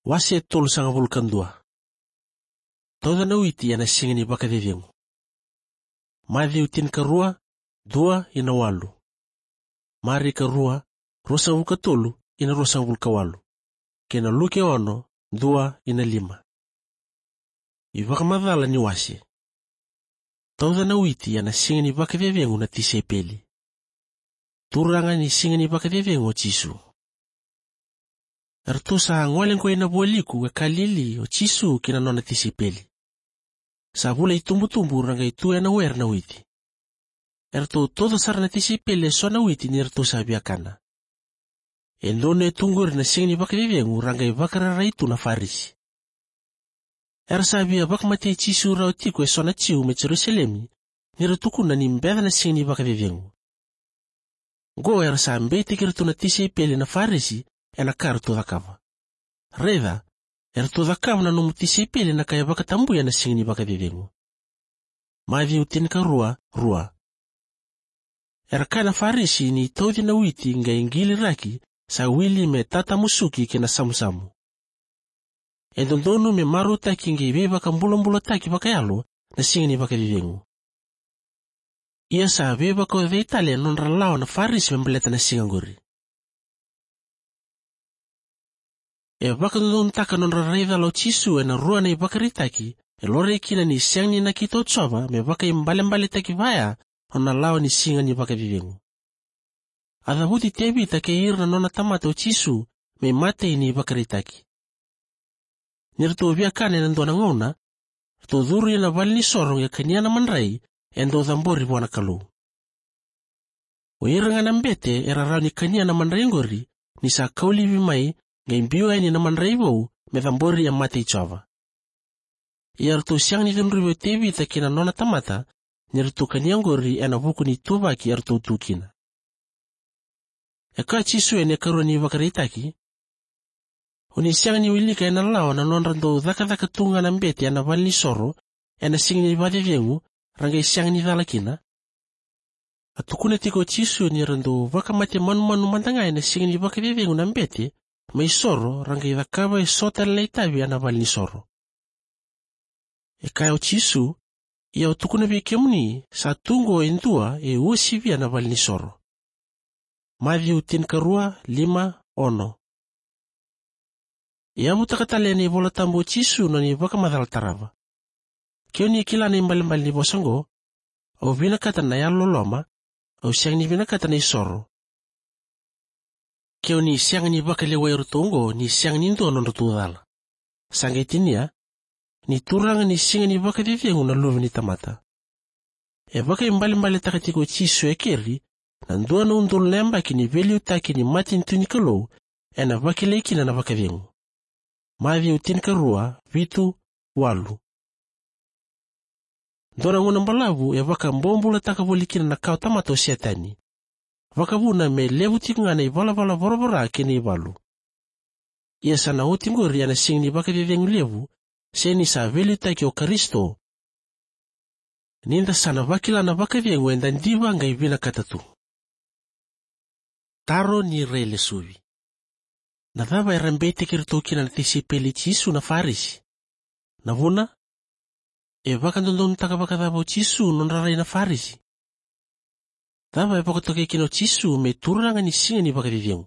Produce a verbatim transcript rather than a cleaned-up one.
Wase tolusagavulu ka dua. Tauca na witi ena siga ni vakacecegu. Maciu tinikarua, dua ina walu. Marika rua, ruasagavulu ka tolu ina ruasagavulu ka walu. Kei na Luke ono, dua ina lima. iVakamacala ni wase. Tauca na witi ena siga ni vakacecegu na tisaipeli. Turaga ni siga ni vakacecegu o Jisu. Eratou sa gole qo ina vualiku e Kalili o Jisu kei na nona tisaipeli. Sa vula itubutubu ra qai tu ena were na witi. Eratou tauca sara na tisaipeli eso na witi ni ratou sa via kana. E donu e tu qori na siga ni vakacecegu ra qai vakararai tu na Farisi. Era sa via vakamatei Jisu rawa tiko eso na Jiu mai Jerusalemi, ni ra tukuna ni beca na siga ni vakacecegu. Qo era sa beitaki iratou na tisaipeli na Farisi ena ka ratou cakava. Raica, eratou cakava na nomu tisaipeli na ka e vakatabuya na siga ni vakacecegu. Maciu tinikarua, rua. Era kaya na Farisi ni tauci na witi qai qili raki sa wili me tatamusuki kei na samusamu. E dodonu me marautaki qai veivakabulabulataki vakayalo na siga ni vakacecegu. Ia sa veivakaocei tale na nodra lawa na Farisi me baleta na siga qori. E vakadodonutaka na nodra rai cala o Jisu ena rua na ivakaraitaki e laurai kina ni sega ni nakita o Jiova me vakaibalebaletaki vaya na nona lawa ni siga ni vakacecegu. A cavuti Tevita kei ira na nona tamata o Jisu me imatai ni ivakaraitaki. Ni ratou via kana ena dua na gauna, ratou curu ina valenisoro qai kania na madrai e dau cabori vua na Kalou. O ira ga na bete era rawa ni kania na madrai qori ni sa kau laivi mai qai biu yani na madrai vou me cabori e mata i Jiova. Ia ratou sega ni cudruvi o Tevita kei na nona tamata ni ratou kania qori ena vuku ni ituvaki eratou tu kina. E kaya o Jisu ena ikarua ni ivakaraitaki, o ni sega ni wilika ena lawa na nodra dau cakacaka tu ga na bete ena valenisoro ena siga ni vakacecegu ra qai sega ni cala kina? A tukuna tiko o Jisu ni ra dau vakamate manumanu mada ga ena siga ni vakacecegu na bete mai soro ra qai cakava eso tale na itavi ena valenisoro. E kaya o Jisu, ia au tukuna vei kemuni, sa tu qo e dua e uasivia na valenisoro. Maciu tinikarua, lima, ono. E yavutaka tale ena iVolatabu o Jisu na nona ivakamacala tarava. Ke o ni kila na ibalebale ni vosa oqo, au vinakata na yalololoma, au sega ni vinakata na isoro. Ke o ni sega ni vakalewai iratou oqo, ni sega ni dua nodratou cala. Sa qai tinia, ni Turaga ni siga ni vakacecegu na Luve ni tamata. E vakaibalebaletaka tiko o Jisu e keri na dua na udolu na yabaki ni veiliutaki ni matanitu ni Kalou ena vakilai kina na vakacegu. Maciu tinikarua, vitu, walu. Dua na gauna balavu e vakabobulataka voli kina na kawatamata o Setani. Vakavuna me levu tiko ga na ivalavala voravora kei na ivalu. Ia sa na oti qori ena siga ni vakacecegu levu, se ni sa veiliutaki o Karisito. Ni da sa na vakila na vakacegu eda diva qai vinakata tu. Taro ni railesuvi. Na cava era beitaki iratou kina na tisaipeli i Jisu na Farisi? Na vuna, e vakadodonutaka vakacava o Jisu na nodra rai na Farisi? Cava e vakatokai kina o Jisu me Turaga ni siga ni vakacecegu?